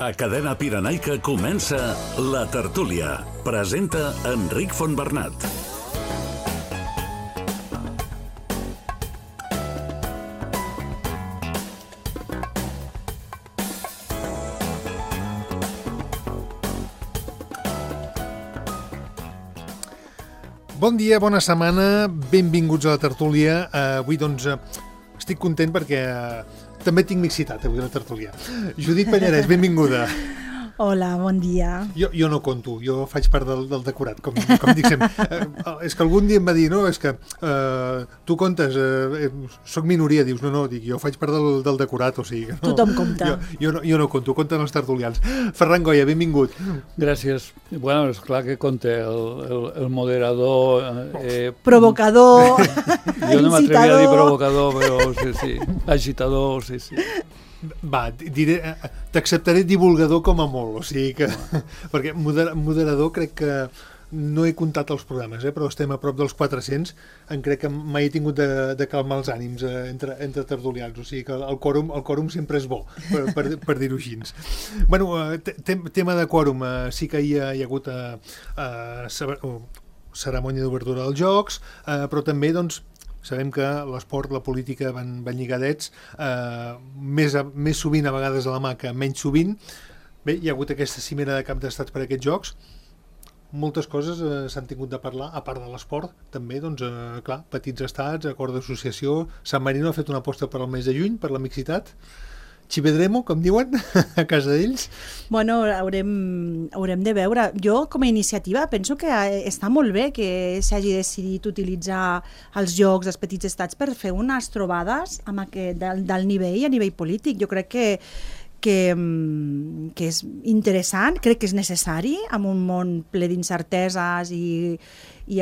A Cadena Pirenaica comença La Tertúlia. Presenta Enric Fontbernat. Bon dia, bona setmana, benvinguts a La Tertúlia. Avui, doncs, estic content perquè també tinc mixitat avui a La Tertúlia. Judit Pallarès, benvinguda. Hola, bon dia. Jo no conto, jo faig part del decorat, com dic sempre. És que algun dia em va dir, no, és que tu comptes, soc minoria, dius, no, dic, jo faig part del decorat, o sigui que no. Tothom compta. Jo no conto, compten els tertulians. Ferran Goya, benvingut. Gràcies. Bueno, és clar que compta el moderador... Provocador, jo no m'atrevia a dir provocador, però sí, agitador, sí. Va, t'acceptaré divulgador com a molt, o sigui que... Perquè moderador crec que no he comptat els programes, però estem a prop dels 400, crec que mai he tingut de calmar els ànims entre tertulians, o sigui que el quòrum sempre és bo, per dir-ho així. Bueno, tema de quòrum, sí que hi ha hagut cerimònia d'obertura dels Jocs, però també, doncs, sabem que l'esport, la política van lligadets, més sovint a vegades a la mà que menys sovint. Bé, hi ha hagut aquesta cimera de cap d'estats per a aquests jocs. Moltes coses s'han tingut de parlar, a part de l'esport, també, doncs, clar, petits estats, acord d'associació. San Marino ha fet una aposta per al mes de juny, per la mixitat. Chivedremo, com diuen, a casa d'ells. Bueno, haurem de veure. Jo, com a iniciativa, penso que està molt bé que s'hagi decidit utilitzar els jocs dels petits estats per fer unes trobades amb del nivell, a nivell polític. Jo crec que és interessant, crec que és necessari en un món ple d'incerteses i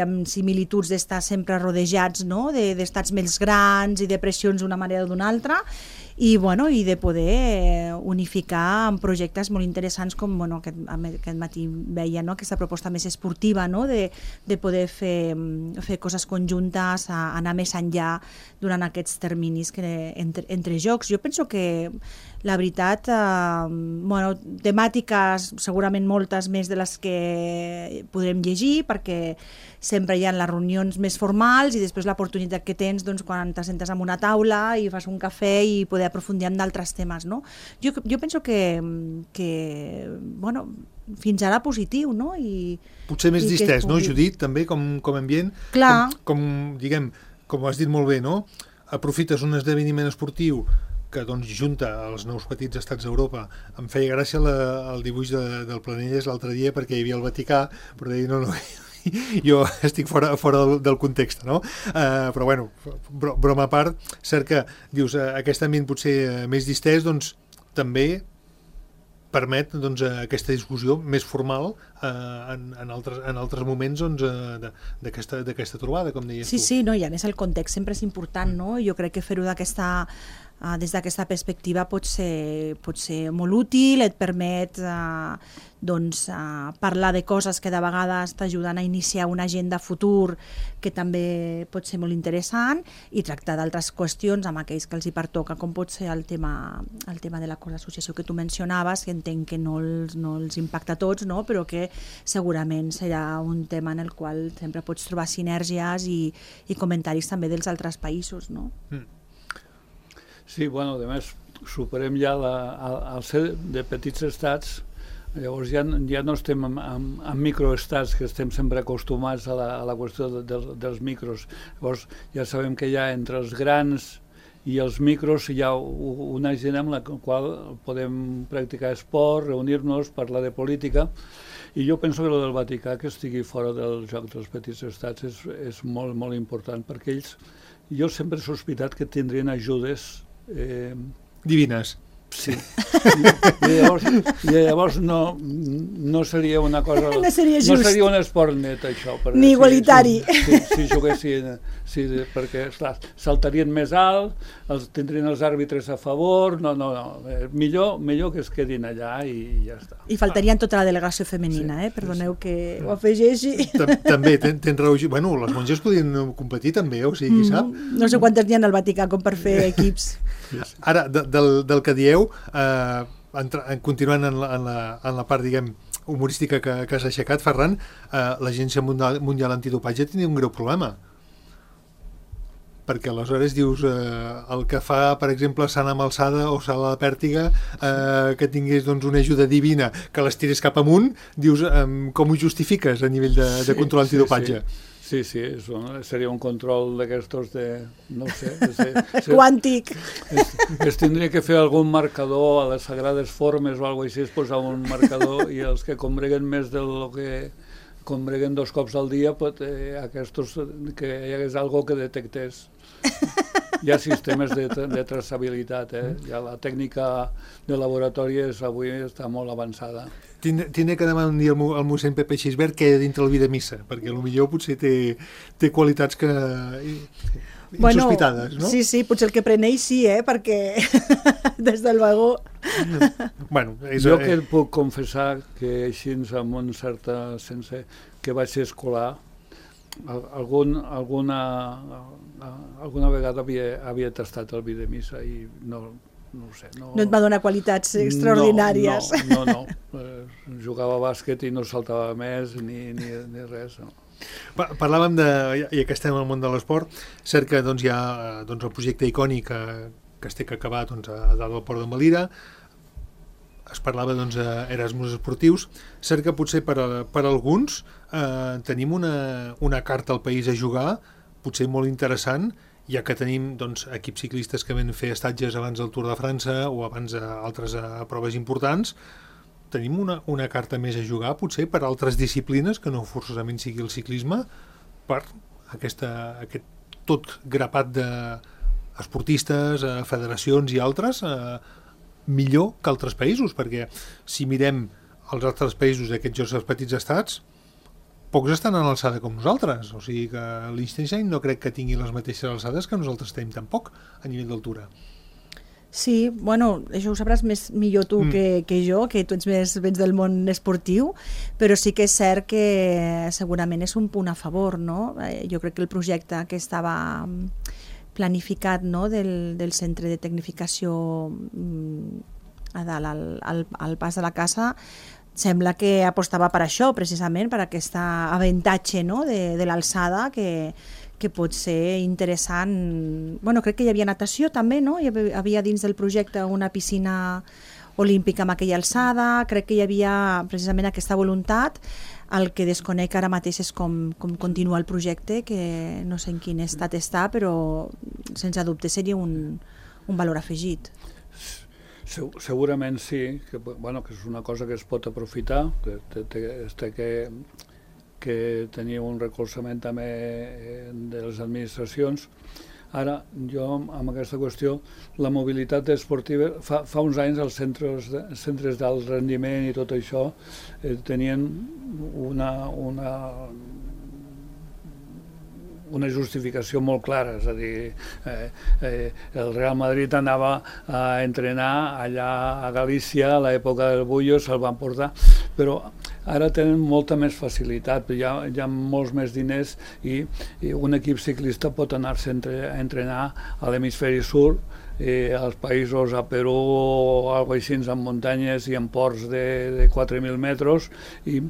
amb similituds d'estar sempre rodejats, no? D'estats més grans i de pressions d'una manera o d'una altra, i de poder unificar en projectes molt interessants com aquest matí veia, no? Aquesta proposta més esportiva, no? De poder fer coses conjuntes, anar més enllà durant aquests terminis entre jocs. Jo penso que la veritat, temàtiques segurament moltes més de les que podrem llegir, perquè sempre hi ha les reunions més formals i després l'oportunitat que tens quan t'assentes en una taula i fas un cafè i poder aprofundir en d'altres temes, no? Jo penso que fins ara positiu, no? Potser més distès, no, Judit, també, com ambient? Clar. Com has dit molt bé, no? Aprofites un esdeveniment esportiu que doncs junta els nous petits estats d'Europa. Em feia gràcia el dibuix del Planelles l'altre dia perquè hi havia el Vaticà, però deia, no, jo estic fora del context, no? Però bueno, broma a part, cert que dius, aquest ambient potser més distès, doncs també permet aquesta discussió més formal en altres moments d'aquesta trobada, com deies tu. Sí, no, i a més el context sempre és important, no? Jo crec que fer-ho des d'aquesta perspectiva pot ser molt útil, et permet parlar de coses que de vegades t'ajuden a iniciar una agenda futur que també pot ser molt interessant i tractar d'altres qüestions amb aquells que els hi pertoca, com pot ser el tema de l'acord d'associació que tu mencionaves, que entenc que no els impacta a tots, no? Però que segurament serà un tema en el qual sempre pots trobar sinergies i comentaris també dels altres països, no? Sí, bueno, a més, superem ja al ser de petits estats, llavors ja no estem en microestats, que estem sempre acostumats a la qüestió dels micros. Llavors ja sabem que ja entre els grans i els micros hi ha una gent amb la qual podem practicar esport, reunir-nos, parlar de política, i jo penso que el del Vaticà, que estigui fora del joc dels petits estats, és molt, molt important, perquè ells, jo sempre he sospitat que tindrien ajudes divines. Sí. I llavors no seria una cosa... No seria just. No seria un esport net, això. Ni igualitari. Si juguessin... perquè, esclar, saltarien més alt, tindrien els àrbitres a favor... No. Millor que es quedin allà i ja està. I faltarien tota la delegació femenina, Perdoneu que ho afegeixi. També, tens raó. Bueno, les monges podien competir també, o sigui, qui sap? No sé quantes n'hi ha al Vaticà com per fer equips. Ara, del que dieu, continuant en la part, diguem, humorística que has aixecat, Ferran, l'Agència Mundial Antidopatge tenia un greu problema. Perquè aleshores dius el que fa, per exemple, Sana Malsada o Sala de Pèrtiga, que tingués doncs, una ajuda divina, que les tirés cap amunt, dius, com ho justifiques a nivell de control antidopatge? Sí, seria un control d'aquestos no ho sé. Quàntic. Es tindria que fer algun marcador a les sagrades formes o alguna cosa així, posar un marcador i els que combreguen més del que combreguen 2 cops al dia, aquests que hi hagués algo que detectés. Hi ha sistemes de traçabilitat, ja la tècnica de laboratori avui està molt avançada. Tindré que demanar un dia al mossèn Pepe Xisbert què hi ha dintre el vi de missa, perquè potser potser té qualitats que insospitades, no? Sí, potser el que preneix sí, perquè des del vagó... Jo que et puc confessar que així amb un certa sense que vaig ser escolar, alguna vegada havia tastat el vi de missa i no ho sé. No et va donar qualitats extraordinàries. No. Jugava a bàsquet i no saltava més ni res, no. Parlàvem ja que estem al món de l'esport, cert que hi ha el projecte icònic que es té que acabar a dalt del port de Valira, es parlava d'Erasmus esportius, cert que potser per alguns tenim una carta al país a jugar, potser molt interessant, ja que tenim equips ciclistes que van fer estatges abans del Tour de França o abans altres proves importants. Tenim una carta més a jugar, potser, per altres disciplines, que no forçosament sigui el ciclisme, per aquest tot grapat d'esportistes, federacions i altres, millor que altres països, perquè si mirem els altres països d'aquests Jocs Petits Estats, pocs estan a l'alçada com nosaltres, o sigui que Liechtenstein no crec que tingui les mateixes alçades que nosaltres tenim tampoc a nivell d'altura. Sí, això ho sabràs millor tu que jo, que tu vens del món esportiu, però sí que és cert que segurament és un punt a favor, no? Jo crec que el projecte que estava planificat, no, del centre de tecnificació a dalt al pas de la casa, sembla que apostava per això, precisament, per aquest avantatge, no, de l'alçada que pot ser interessant. Crec que hi havia natació també, no? Hi havia dins del projecte una piscina olímpica amb aquella alçada, crec que hi havia precisament aquesta voluntat. El que desconec ara mateix és com continua el projecte, que no sé en quin estat està, però sense dubte seria un valor afegit. Segurament sí, que és una cosa que es pot aprofitar, que tenia un recolzament també de les administracions. Ara, jo, amb aquesta qüestió, la mobilitat esportiva, fa uns anys els centres d'alt rendiment i tot això tenien una justificació molt clara, és a dir, el Real Madrid anava a entrenar allà a Galícia a l'època del Bullo, se'l van portar, però ara tenen molta més facilitat, hi ha molts més diners i un equip ciclista pot anar-se a entrenar a l'hemisferi sud, als països, a Perú o alguna cosa així, en muntanyes i en ports de 4.000 metres, i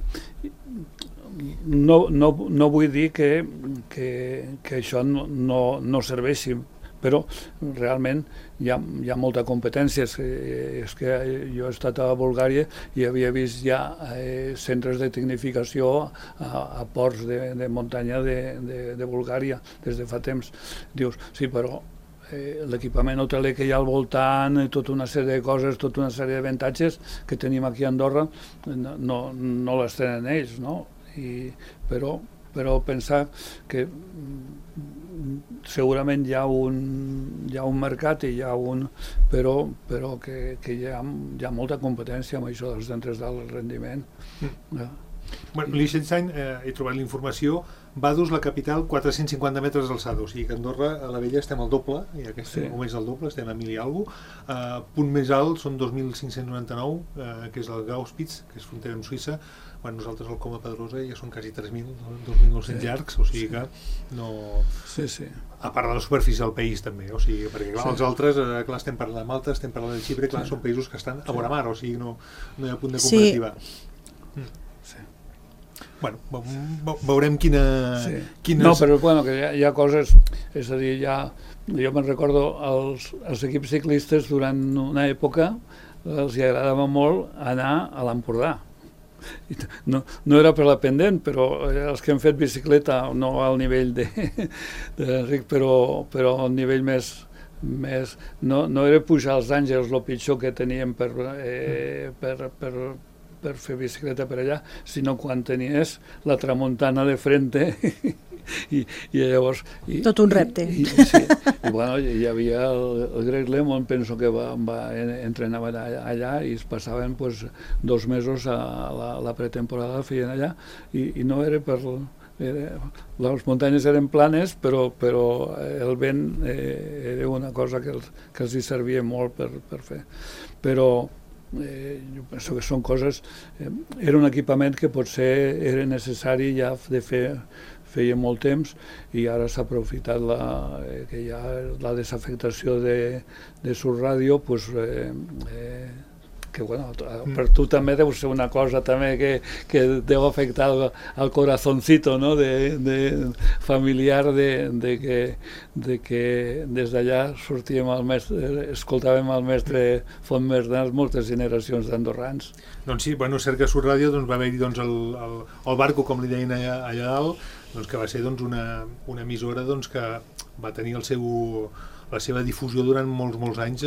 no vull dir que això no serveixi, però realment hi ha molta competència. És que jo he estat a Bulgària i havia vist ja centres de tecnificació a ports de muntanya de Bulgària des de fa temps. Dius, sí, però l'equipament hoteler que hi ha al voltant, tota una sèrie de coses, tota una sèrie d'avantatges que tenim aquí a Andorra, no les tenen ells, no? Però pensar que segurament hi ha un mercat i però que hi ha molta competència amb això dels centres d'alt rendiment. Liechtenstein, he trobat la informació, Vaduz, la capital, 450 metres d'alçada, o sigui que a Andorra, a la Vella, estem al doble, i aquest moment és el doble, estem a 1.000 i alguna cosa. Punt més alt són 2.599, que és el Gauspitz, que és frontera amb Suïssa. quan nosaltres al Coma Pedrosa ja són quasi 3.000, 2.900 llargs, o sigui que no... Sí, sí. A part de la superfície del país també, o sigui, perquè clar, els altres, clar, estem parlant de Malta, estem parlant de Xipre, clar, són països que estan a vora mar, o sigui, no hi ha punt de comparativa. Sí. Bueno, veurem quines... No, però bueno, que hi ha coses, és a dir, jo me'n recordo els equips ciclistes durant una època els agradava molt anar a l'Empordà. No era per la pendent, però els que han fet bicicleta, no al nivell d'Enric, però al nivell més no era pujar als Àngels el pitjor que teníem per fer bicicleta per allà, sinó quan tenies la tramuntana de frente i llavors... Tot un repte. I bueno, hi havia el Greg LeMond, penso que entrenava allà i es passaven 2 mesos a la pretemporada, feien allà, i no era per... Les muntanyes eren planes, però el vent era una cosa que els hi servia molt per fer. Però jo penso que són coses... Era un equipament que potser era necessari ja de fer feia molt temps i ara s'ha aprofitat que hi ha la desafectació de Surradio, que bueno, per tu també deu ser una cosa també que deu afectar al corazoncito, no? Familiar de que des d'allà sortíem escoltàvem el mestre Fontmerdans moltes generacions d'andorrans. Doncs sí, bueno, és cert que a Surradio va haver-hi el Barco, com li deien allà dalt, que va ser una emissora que va tenir la seva difusió durant molts anys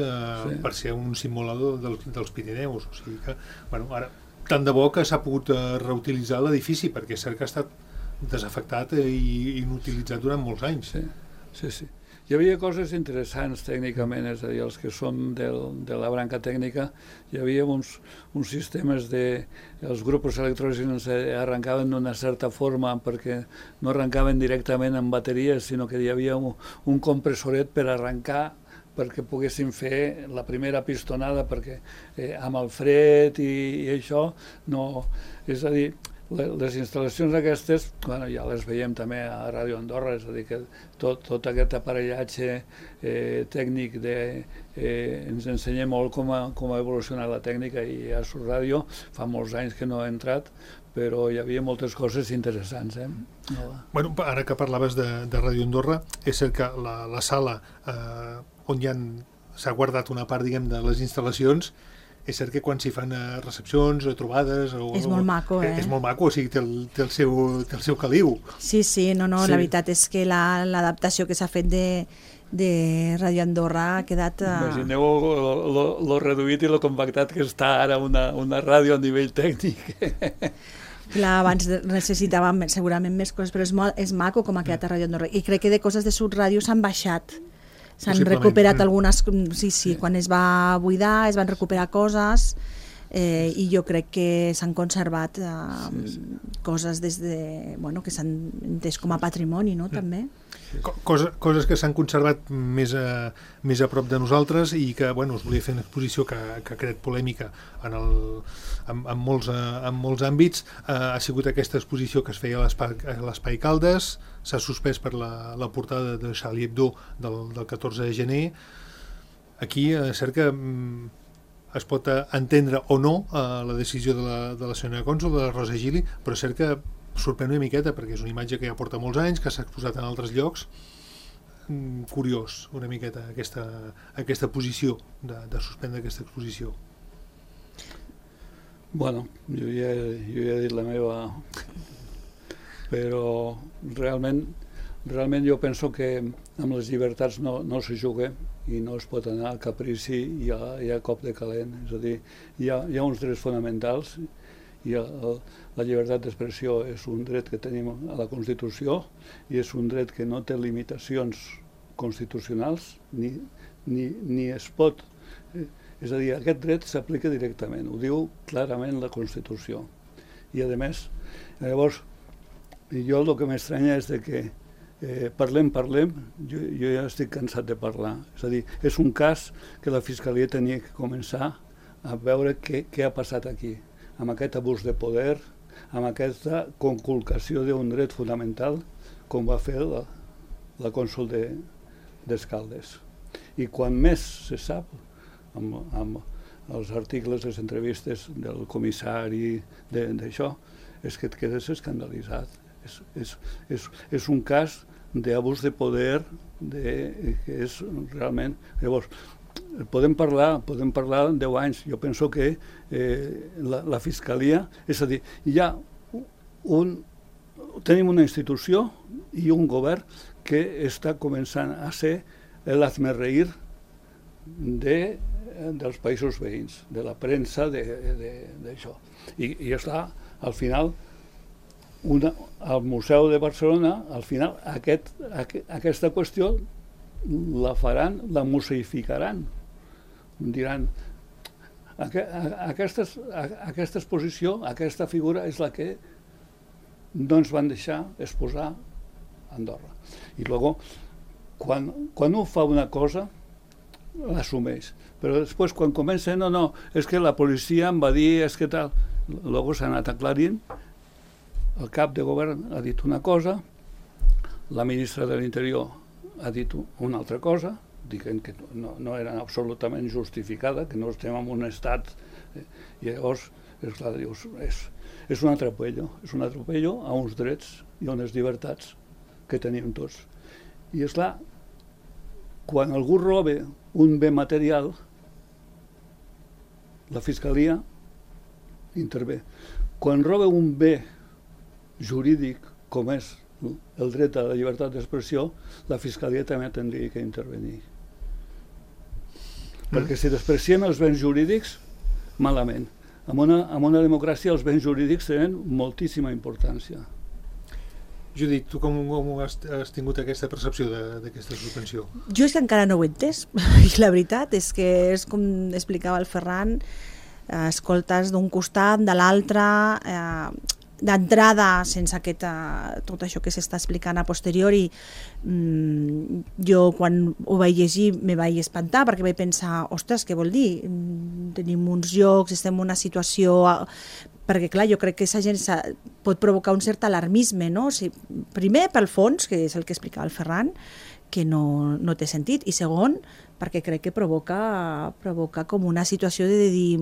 per ser un simbolador dels Pirineus. O sigui que, bueno, ara, tant de bo que s'ha pogut reutilitzar l'edifici, perquè és cert que ha estat desafectat i inutilitzat durant molts anys. Sí. Hi havia coses interessants tècnicament, és a dir, els que són de la branca tècnica, hi havia uns sistemes els grups electrògens arrencaven d'una certa forma perquè no arrencaven directament amb bateries, sinó que hi havia un compressoret per arrencar perquè poguessin fer la primera pistonada, perquè amb el fred i això no... És a dir, les instal·lacions aquestes, bueno, ja les veiem també a Ràdio Andorra, és a dir, que tot aquest aparellatge tècnic ens ensenya molt com ha evolucionat la tècnica, i a Surradio fa molts anys que no ha entrat, però hi havia moltes coses interessants. Bueno, ara que parlaves de Ràdio Andorra, és cert que la sala on s'ha guardat una part, diguem, de les instal·lacions, és cert que quan s'hi fan recepcions o trobades... És molt maco, És molt maco, o sigui, té el seu caliu. Sí, la veritat és que l'adaptació que s'ha fet de Ràdio Andorra ha quedat... Imagineu lo reduït i lo compactat que està ara una ràdio a nivell tècnic. Clar, abans necessitàvem segurament més coses, però és maco com ha quedat a Ràdio Andorra. I crec que de coses de Surradio s'han baixat. S'han recuperat algunes... Sí, quan es va buidar es van recuperar coses i jo crec que s'han conservat coses que s'han entès com a patrimoni, no? També. Coses que s'han conservat més a prop de nosaltres i que, bueno, us volia fer una exposició que ha creat polèmica en molts àmbits. Ha sigut aquesta exposició que es feia a l'Espai Caldes, s'ha suspès per la portada de Charlie Hebdo del 14 de gener. Aquí és cert que es pot entendre o no la decisió de la senyora cònsol, de la Rosa Gili, però és cert que sorprèn una miqueta perquè és una imatge que ja porta molts anys, que s'ha exposat en altres llocs. Curiós una miqueta aquesta posició de suspendre aquesta exposició. Bueno, jo ja he dit la meva, però realment jo penso que amb les llibertats no se juga i no es pot anar a caprici i a cop de calent. És a dir, hi ha uns drets fonamentals i la llibertat d'expressió és un dret que tenim a la Constitució i és un dret que no té limitacions constitucionals ni es pot... És a dir, aquest dret s'aplica directament, ho diu clarament la Constitució. I a més, llavors, jo el que m'estranya és que parlem, jo ja estic cansat de parlar. És a dir, és un cas que la Fiscalia tenia que començar a veure què ha passat aquí, amb aquest abús de poder, amb aquesta conculcació d'un dret fonamental com va fer la cònsol d'Escaldes. I quan més se sap, amb els articles, les entrevistes del comissari d'això, és que et quedes escandalitzat. És un cas d'abús de poder que és realment... Llavors, podem parlar 10 anys. Jo penso que la Fiscalia, és a dir, tenim una institució i un govern que està començant a ser l'hazmerreír dels països veïns, de la premsa, d'això. I està, al final, al Museu de Barcelona, al final, aquesta qüestió la museificaran. Diran, aquesta exposició, aquesta figura és la que no ens van deixar exposar a Andorra. I llavors, quan un fa una cosa, l'assumeix. Però després, quan comença, no, és que la policia em va dir, és que tal... Llavors s'ha anat aclarint, el cap de govern ha dit una cosa, la ministra de l'Interior ha dit una altra cosa, dient que no era absolutament justificada, que no estem en un estat... I llavors, esclar, dius, és un atropello a uns drets i a unes llibertats que tenim tots. I esclar, quan algú roba un bé material, la Fiscalia intervé. Quan roba un bé jurídic, com és el dret a la llibertat d'expressió, la Fiscalia també tindria que intervenir. Perquè si despreciem els béns jurídics, malament. En una democràcia els béns jurídics tenen moltíssima importància. Judit, tu com has tingut aquesta percepció d'aquesta suspensió? Jo és que encara no ho he entès, i la veritat és que és com explicava el Ferran, escoltes d'un costat, de l'altre, d'entrada, sense tot això que s'està explicant a posteriori, jo quan ho vaig llegir me vaig espantar perquè vaig pensar, ostres, què vol dir? Tenim uns llocs, estem en una situació... Perquè, clar, jo crec que aquesta gent pot provocar un cert alarmisme, no? Primer, pel fons, que és el que explicava el Ferran, que no té sentit, i segon, perquè crec que provoca com una situació de dir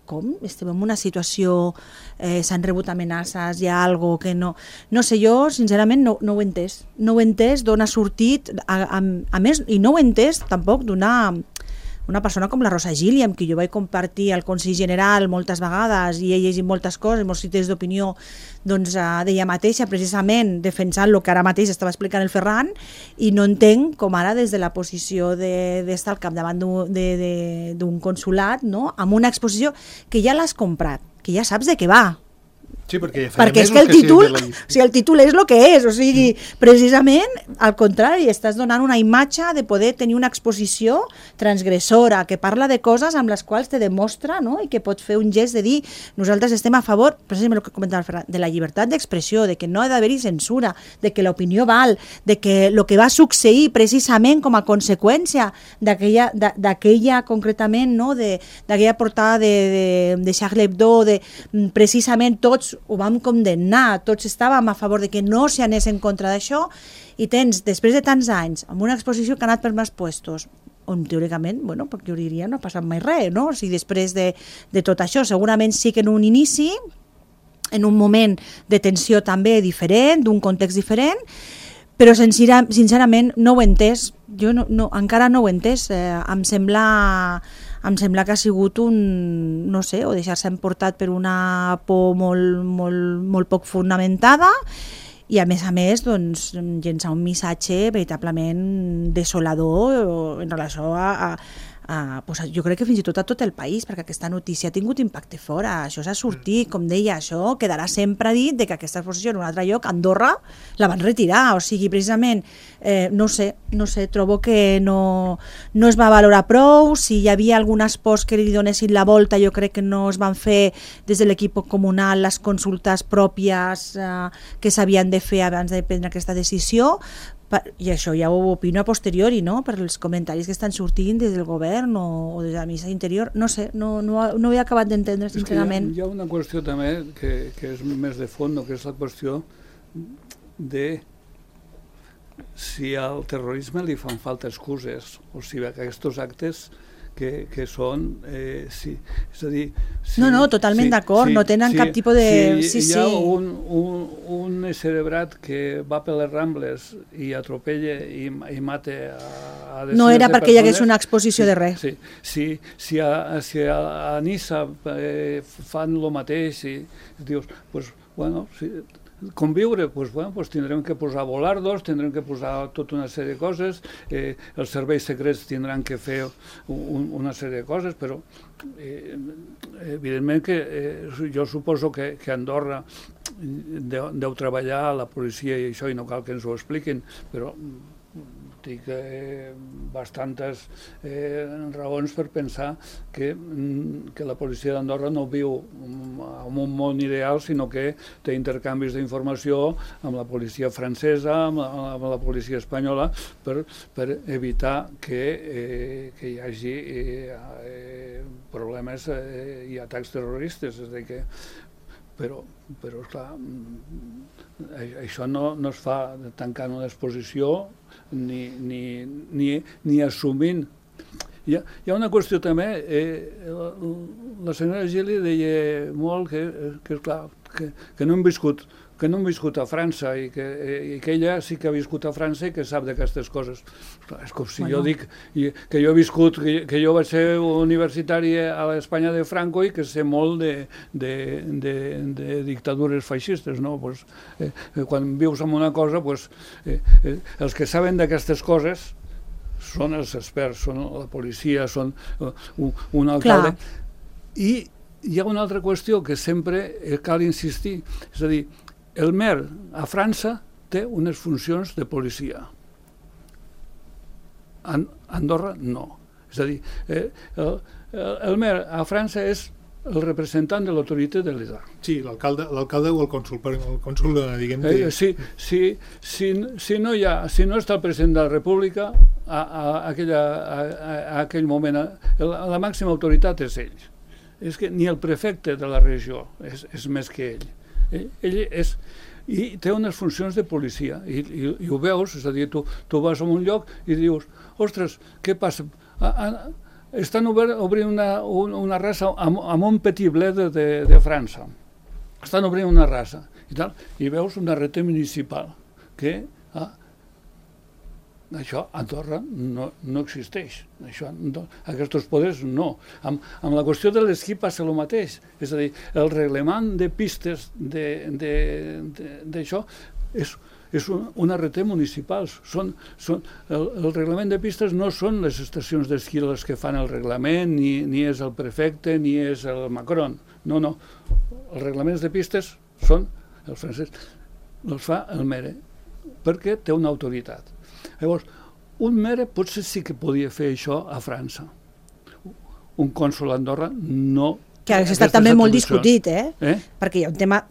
com? Estem en una situació, s'han rebut amenaces, hi ha alguna cosa que no... No sé, jo sincerament no ho he entès. No ho he entès d'on ha sortit, a més, i no ho he entès tampoc una persona com la Rosa Gili, amb qui jo vaig compartir al Consell General moltes vegades i he llegit moltes coses, molts cites d'opinió doncs, d'ella mateixa, precisament defensant el que ara mateix estava explicant el Ferran, i no entenc com ara des de la posició d'estar al capdavant d'un consulat, no? Amb una exposició que ja l'has comprat, que ja saps de què va. Sí, perquè és que el títol és el que és, o sigui, precisament al contrari, estàs donant una imatge de poder tenir una exposició transgressora, que parla de coses amb les quals te demostra, no? I que pot fer un gest de dir, nosaltres estem a favor, precisament el que comentava el Ferran, de la llibertat d'expressió, de que no ha d'haver-hi censura, de que l'opinió val, de que el que va succeir precisament com a conseqüència d'aquella concretament, no? D'aquella portada de Charlie Hebdo, precisament tots ho vam condemnar, tots estàvem a favor de que no s'hi anés en contra d'això, i tens, després de tants anys, amb una exposició que ha anat per més puestos, on teòricament, bueno, perquè jo diria no ha passat mai res, no? O sigui, després de tot això, segurament sí que en un inici, en un moment de tensió també diferent, d'un context diferent, però sincerament no ho he entès, jo encara no ho he entès, em sembla que ha sigut no sé, o deixar-se emportat per una por molt poc fonamentada, i a més doncs, llençar un missatge veritablement desolador en relació jo crec que fins i tot a tot el país, perquè aquesta notícia ha tingut impacte fora, això s'ha sortit, com deia, això quedarà sempre dit de que aquesta exposició en un altre lloc, Andorra, la van retirar, o sigui, precisament, no sé, trobo que no es va valorar prou, si hi havia algunes pors que li donessin la volta, jo crec que no es van fer des de l'equip comunal les consultes pròpies que s'havien de fer abans de prendre aquesta decisió, I això ja ho opino a posteriori, no? Per els comentaris que estan sortint des del govern o des de la ministra d'Interior. No sé, no ho he acabat d'entendre, sincerament. Hi ha una qüestió també que és més de fons, que és la qüestió de si al terrorisme li fan falta excuses, o si aquests actes que són... és a dir... No, totalment d'acord, no tenen cap tipus de... Si hi ha un cerebrat que va per les Rambles i atropella i mata a no era perquè hi hagués una exposició de res. Si a Niça fan el mateix i dius, doncs, bueno... Conviure, doncs tindrem que posar volardos, tindrem que posar tota una sèrie de coses, els serveis secrets tindran que fer una sèrie de coses, però evidentment que jo suposo que a Andorra deu treballar a la policia i això, i no cal que ens ho expliquin, però tinc bastantes raons per pensar que la policia d'Andorra no viu en un món ideal, sinó que té intercanvis d'informació amb la policia francesa, amb la policia espanyola, per evitar que hi hagi problemes i atacs terroristes. És a dir que però esclar, això no es fa tancant una exposició ni assumint. Hi ha una qüestió també, la senyora Gili deia molt que esclar, que no hem viscut a França i que ella sí que ha viscut a França i que sap d'aquestes coses. És com si jo dic que jo he viscut, que jo vaig ser universitari a l'Espanya de Franco i que sé molt de dictadures feixistes, no? Quan vius en una cosa, els que saben d'aquestes coses són els experts, són la policia, són un alcalde. I hi ha una altra qüestió que sempre cal insistir, és a dir, el mer a França té unes funcions de policia. A Andorra no. És a dir, el mer a França és el representant de l'autoritat de l'Estat. Sí, l'alcalde o el cònsul, diguem-ne. Si no està el president de la República, a aquell moment la màxima autoritat és ell. És que ni el prefecte de la regió és més que ell. Ell és... I té unes funcions de policia, i ho veus, és a dir, tu vas a un lloc i dius, ostres, què passa? Estan obrint una raça amb un petit bled de França. Estan obrint una raça i veus una reta municipal que això a Andorra no existeix. Aquests poders no. Amb la qüestió de l'esquí passa el mateix. És a dir, el reglement de pistes d'això és una reta municipals. El reglament de pistes no són les estacions d'esquí les que fan el reglament, ni és el prefecte, ni és el Macron. No. Els reglaments de pistes són els francesos. Els fa el mere, perquè té una autoritat. Llavors, un mere potser sí que podia fer això a França. Un cònsol a Andorra no. Que ha estat també molt discutit, perquè hi ha un tema,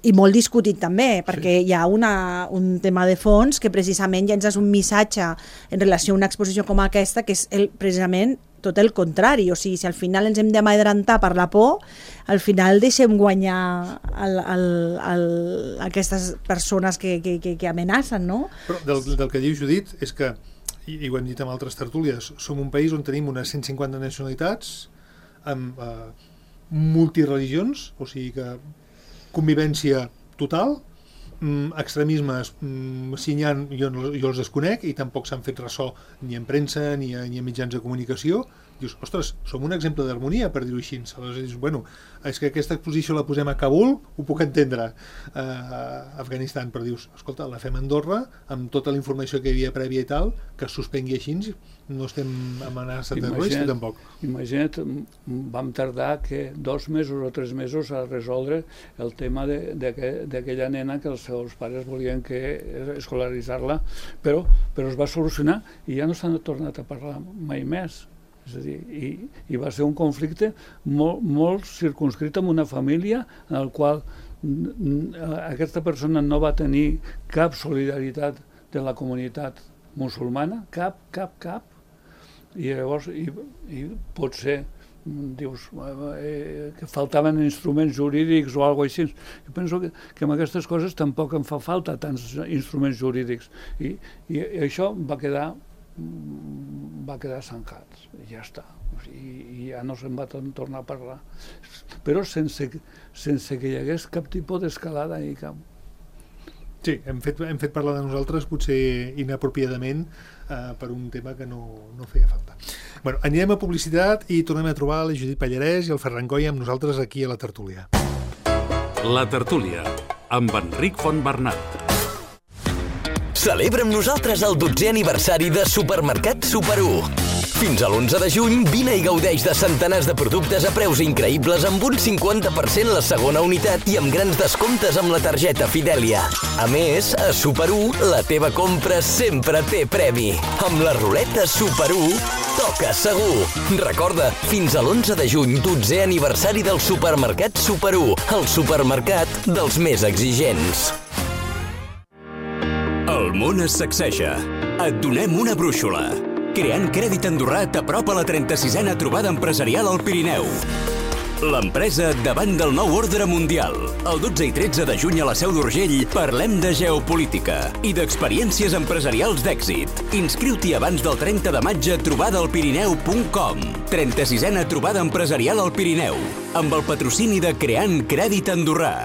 i molt discutit també, perquè hi ha un tema de fons que precisament llences un missatge en relació a una exposició com aquesta, que és precisament tot el contrari. O sigui, si al final ens hem d'amedrentar per la por, al final deixem guanyar aquestes persones que amenacen, no? Però del que diu Judit és que, i ho hem dit amb altres tertúlies, som un país on tenim unes 150 nacionalitats amb multireligions, o sigui que convivència total, extremismes, si n'hi ha, jo els desconec i tampoc s'han fet ressò ni en premsa ni a mitjans de comunicació. Dius, ostres, som un exemple d'harmonia, per dir-ho així. Aleshores dius, bueno, és que aquesta exposició la posem a Kabul, ho puc entendre, a Afganistan, però dius, escolta, la fem a Andorra, amb tota la informació que hi havia prèvia i tal, que es suspengui així, no estem amenaçats de res, tampoc. Imagina't, vam tardar que 2 mesos o 3 mesos a resoldre el tema d'aquella nena que els seus pares volien escolaritzar-la, però es va solucionar i ja no s'han tornat a parlar mai més. És a dir, i va ser un conflicte molt circunscrit amb una família en el qual aquesta persona no va tenir cap solidaritat de la comunitat musulmana, cap, i llavors i potser dius que faltaven instruments jurídics o alguna cosa així. Jo penso que amb aquestes coses tampoc em fa falta tants instruments jurídics i això va quedar zancat i ja està, i ja no se'n va tornar a parlar, però sense que hi hagués cap tipus d'escalada i cap. Sí, hem fet parlar de nosaltres potser inapropiadament per un tema que no feia falta. Bueno, anirem a publicitat i tornem a trobar la Judit Pallarès i el Ferran Goya amb nosaltres aquí a la tertúlia. La tertúlia, amb Enric Fontbernat. Celebra amb nosaltres el 12è aniversari de Supermercat Super 1. Fins a l'11 de juny, vine i gaudeix de centenars de productes a preus increïbles amb un 50% la segona unitat i amb grans descomptes amb la targeta Fidèlia. A més, a Super 1, la teva compra sempre té premi. Amb la ruleta Super 1, toca segur. Recorda, fins a l'11 de juny, 12è aniversari del Supermercat Super 1, el supermercat dels més exigents. El món es sacseja. Et donem una brúixola. Creant Crèdit Andorrà t'apropa la 36a trobada empresarial al Pirineu. L'empresa davant del nou ordre mundial. El 12 i 13 de juny a la Seu d'Urgell parlem de geopolítica i d'experiències empresarials d'èxit. Inscriu-t'hi abans del 30 de maig a trobadalpirineu.com. 36a trobada empresarial al Pirineu, amb el patrocini de Creant Crèdit Andorrà.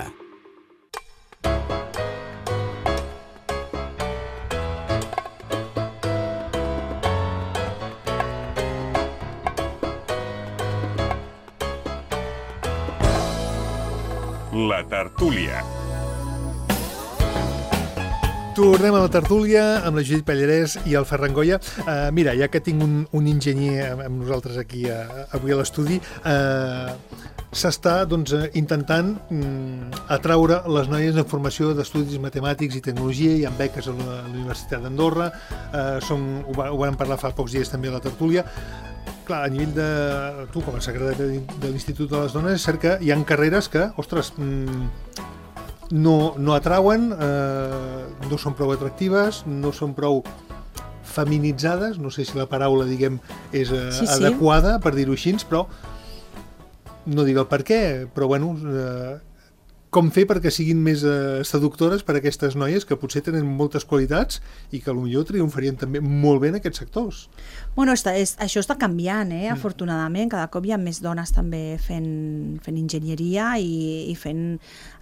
La tertúlia. Tornem a la tertúlia amb la Judit Pallarès i el Ferran Goya. Mira, ja que tinc un enginyer amb nosaltres aquí avui a l'estudi, s'està intentant atraure les noies en formació d'estudis matemàtics i tecnologia. Hi ha beques a la Universitat d'Andorra, ho vam parlar fa pocs dies també a la tertúlia. Clar, a nivell de tu, com a secretari de l'Institut de les Dones, és cert que hi ha carreres que, ostres, no atrauen, no són prou atractives, no són prou feminitzades, no sé si la paraula, diguem, és adequada, per dir-ho així, però no diré el per què, però bueno, com fer perquè siguin més seductores per a aquestes noies que potser tenen moltes qualitats i que potser triomfarien també molt bé en aquests sectors. Bueno, això està canviant, afortunadament. Cada cop hi ha més dones també fent enginyeria i fent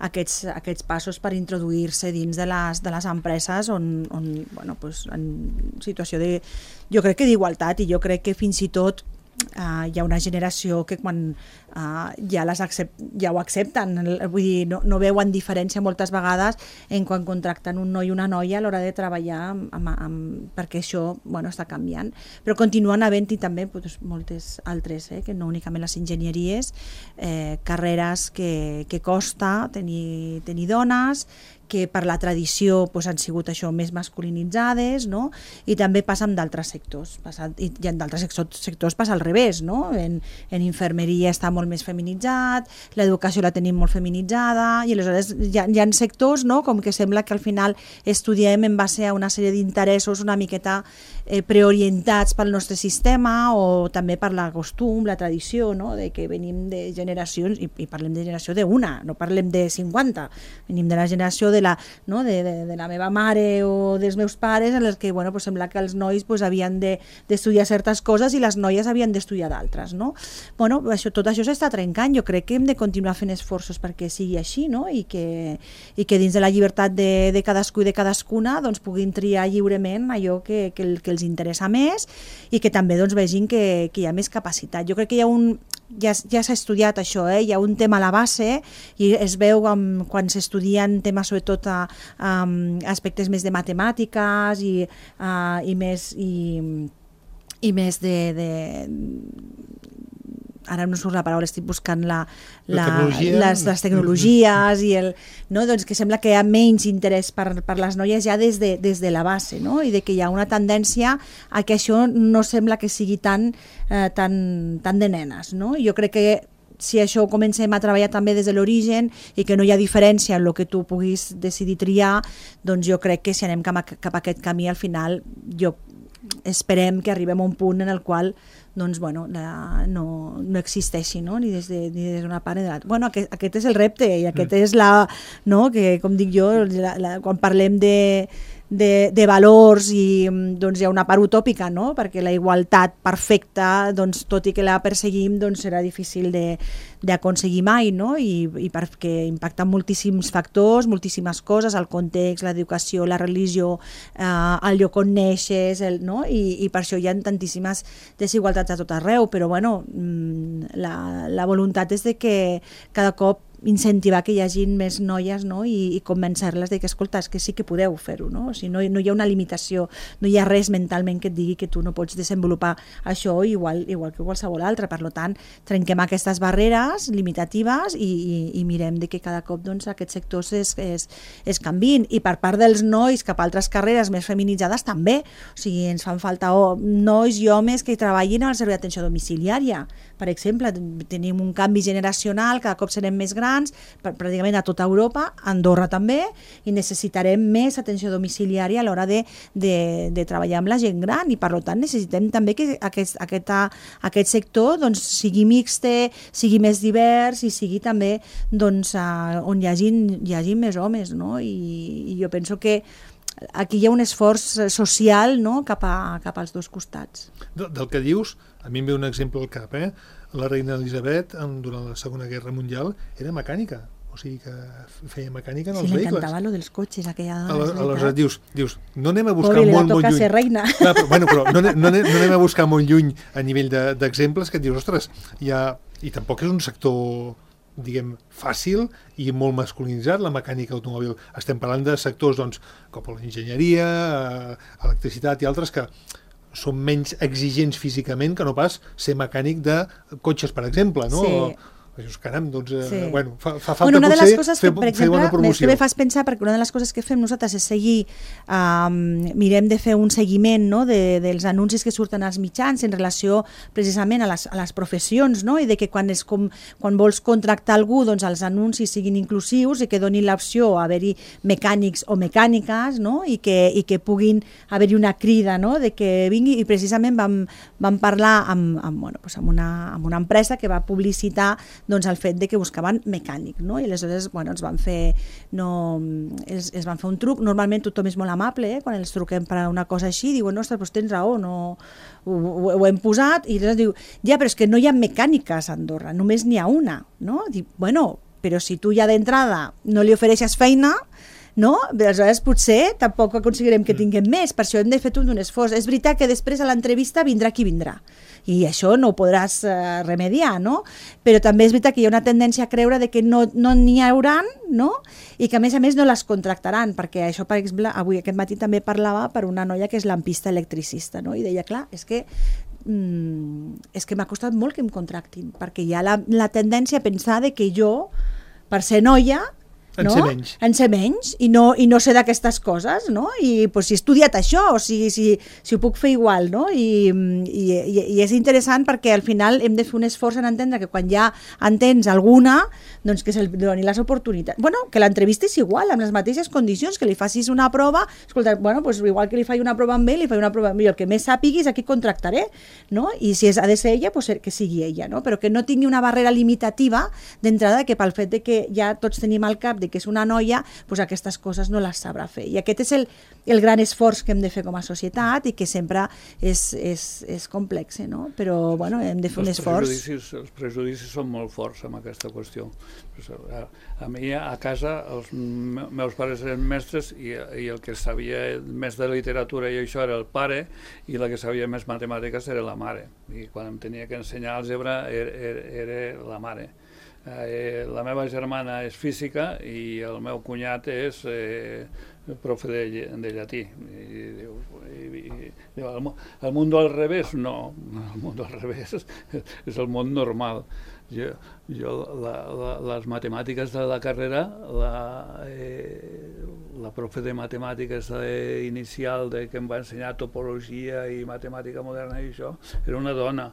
aquests passos per introduir-se dins de les empreses on en situació de, jo crec que d'igualtat, i jo crec que fins i tot hi ha una generació que quan ja ho accepten, vull dir, no veuen diferència moltes vegades en quan contracten un noi i una noia a l'hora de treballar perquè això està canviant, però continuen havent-hi també moltes altres, que no únicament les enginyeries, carreres que costa tenir dones, que per la tradició han sigut això més masculinitzades, no? I també passa amb d'altres sectors. I en d'altres sectors passa al revés, no? En infermeria està molt més feminitzat, l'educació la tenim molt feminitzada, i aleshores hi ha sectors, no? Com que sembla que al final estudiem en base a una sèrie d'interessos una miqueta preorientats pel nostre sistema, o també per la costum, la tradició, no? De que venim de generacions, i parlem de generació d'una, no parlem de 50, venim de la generació de la meva mare o dels meus pares, en els que sembla que els nois havien d'estudiar certes coses i les noies havien d'estudiar d'altres, no? Tot això s'està trencant. Jo crec que hem de continuar fent esforços perquè sigui així, no? I que dins de la llibertat de cadascú i de cadascuna puguin triar lliurement allò que els interessa més, i que també vegin que hi ha més capacitat. Jo crec que ja s'ha estudiat això, hi ha un tema a la base, i es veu quan s'estudien temes sobretot a aspectes més de matemàtiques i més de ara no surt la paraula, estic buscant les tecnologies i que sembla que hi ha menys interès per les noies ja des de la base, no? I que hi ha una tendència a que això no sembla que sigui tan de nenes, no? Jo crec que si això ho comencem a treballar també des de l'origen i que no hi ha diferència en el que tu puguis decidir triar, doncs jo crec que si anem cap a aquest camí, al final esperem que arribem a un punt en el qual doncs, bueno, no existeixi, no? Ni des d'una part ni de l'altra. Bueno, aquest és el repte i aquest és que, com dic jo, quan parlem de valors i doncs hi ha una part utòpica, no? Perquè la igualtat perfecta, doncs, tot i que la perseguim, doncs serà difícil d'aconseguir mai, no? I perquè impacten moltíssims factors, moltíssimes coses, el context, l'educació, la religió, el lloc on neixes, no? I per això hi ha tantíssimes desigualtats a tot arreu, però bueno, la voluntat és de que cada cop incentivar que hi hagin més noies, no? I convèncer-les de que, escolta, és que sí que podeu fer-ho, no? O sigui, no hi ha una limitació, no hi ha res mentalment que et digui que tu no pots desenvolupar això igual que qualsevol altre. Per tant, trenquem aquestes barreres limitatives i mirem de que cada cop doncs, aquests sectors es canviïn. I per part dels nois cap a altres carreres més feminitzades també. O sigui, ens fan falta nois i homes que treballin al servei d'atenció domiciliària. Per exemple, tenim un canvi generacional, cada cop serem més grans, pràcticament a tota Europa, a Andorra també, i necessitarem més atenció domiciliària a l'hora de treballar amb la gent gran, i per tant necessitem també que aquest sector doncs, sigui mixte, sigui més divers i sigui també doncs, on hi hagi més homes, no? I jo penso que aquí hi ha un esforç social, no? cap als dos costats. Del que dius, a mi em ve un exemple al cap, La reina Elisabet, durant la Segona Guerra Mundial, era mecànica, o sigui que feia mecànica en els vehicles. Sí, l'encantava lo dels cotxes, aquella dona. Aleshores dius, no anem a buscar molt lluny. Ser reina. Clar, però no anem a buscar molt lluny a nivell d'exemples que et dius, ostres, i tampoc és un sector, diguem, fàcil i molt masculinitzat, la mecànica automòbil. Estem parlant de sectors, doncs, com l'enginyeria, electricitat i altres que són menys exigents físicament que no pas ser mecànic de cotxes, per exemple, no? Sí. Caram, doncs, bueno, fa falta una de les coses potser que, per fer bona promoció. Me fas pensar, perquè una de les coses que fem nosaltres és seguir, mirem de fer un seguiment, no? dels anuncis que surten als mitjans en relació precisament a les professions, no? I de que quan vols contractar algú, doncs els anuncis siguin inclusius i que donin l'opció a haver-hi mecànics o mecàniques, no? I que puguin haver-hi una crida, no? De que vingui, i precisament vam parlar amb una empresa que va publicitar doncs el fet de que buscaven mecànic, no? I aleshores, bueno, els van fer un truc. Normalment tothom és molt amable, quan els truquem per una cosa així, diuen, ostres, doncs tens raó, no, ho hem posat, i llavors diu, ja, però és que no hi ha mecàniques a Andorra, només n'hi ha una, no? Dic, bueno, però si tu ja d'entrada no li ofereixes feina, no? Aleshores potser tampoc aconseguirem que tinguem més, per això hem de fer tot un esforç. És veritat que després a l'entrevista vindrà qui vindrà, i això no ho podràs remediar, no? Però també és veritat que hi ha una tendència a creure de que no n'hi hauran, no? I que a més no les contractaran, perquè això, per exemple, avui aquest matí també parlava per una noia que és lampista electricista, no? I deia, clar, és que m'ha costat molt que em contractin, perquè hi ha la tendència a pensar de que jo, per ser noia, no? En ser menys i no sé d'aquestes coses, no? I pues, si he estudiat això, o si ho puc fer igual, no? I és interessant perquè al final hem de fer un esforç en entendre que quan ja entens alguna, doncs que se'l doni les oportunitats. Bueno, que l'entrevista és igual, amb les mateixes condicions, que li facis una prova, escolta, bueno, pues igual que li faig una prova amb ell, li faig una prova amb ell, el que més sàpigui és a qui contractaré, no? I si ha de ser ella, pues que sigui ella, no? Però que no tingui una barrera limitativa d'entrada, que pel fet de que ja tots tenim al cap de que és una noia, doncs aquestes coses no les sabrà fer. I aquest és el gran esforç que hem de fer com a societat i que sempre és complex, no? Però bueno, hem de fer un esforç. Els prejudicis són molt forts amb aquesta qüestió. A mi a casa els meus pares eren mestres i el que sabia més de literatura i això era el pare, i la que sabia més matemàtiques era la mare. I quan em tenia que ensenyar àlgebra era la mare. La meva germana és física i el meu cunyat és profe de llatí. El món al revés? No, el món al revés és el món normal. Jo les matemàtiques de la carrera, la profe de matemàtiques inicial que em va ensenyar topologia i matemàtica moderna i això, era una dona.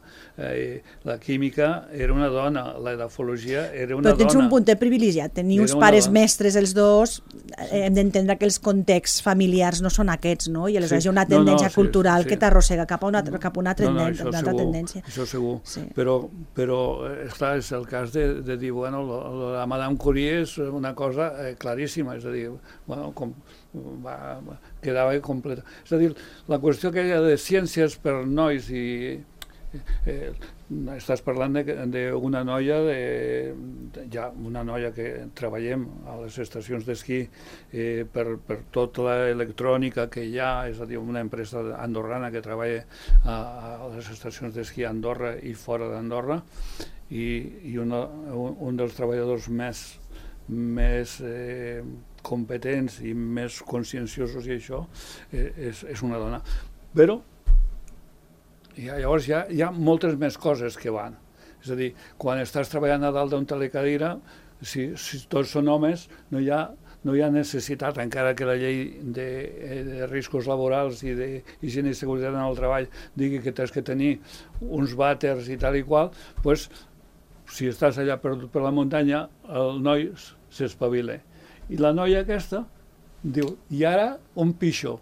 La química era una dona, la edafologia era una dona. Però tens un puntet privilegiat, tenir uns pares mestres els dos, hem d'entendre que els contexts familiars no són aquests, no? I aleshores hi ha una tendència cultural que t'arrossega cap a una altra tendència. Això segur, però esclar, és el cas de dir, bueno, la Madame Curie és una cosa claríssima, és a dir, bueno, quedava completa. És a dir, la qüestió que hi ha de ciències per nois i estàs parlant d'una noia una noia que treballem a les estacions d'esquí per tota l'electrònica que hi ha, és a dir, una empresa andorrana que treballa a les estacions d'esquí a Andorra i fora d'Andorra, i un dels treballadors més competents i més conscienciosos i això és una dona. Però llavors hi ha moltes més coses que van. És a dir, quan estàs treballant a dalt d'un telecadira, si tots són homes, no hi ha necessitat, encara que la llei de riscos laborals i d'higiene i seguretat en el treball digui que tens que tenir uns vàters i tal i qual, doncs, si estàs allà perdut per la muntanya, el noi s'espavila. I la noia aquesta diu, i ara un pixó.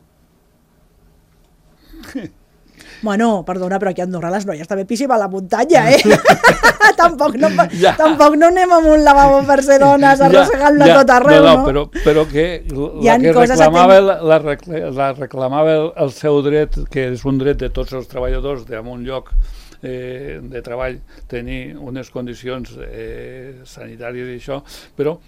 Bueno, perdona, però aquí a Andorra les noies també pixem a la muntanya, Tampoc no anem amb un lavabo per ser dones arrossegant-la tot arreu, no? Però que la que reclamava el seu dret, que és un dret de tots els treballadors en un lloc de treball, tenir unes condicions sanitàries i això, però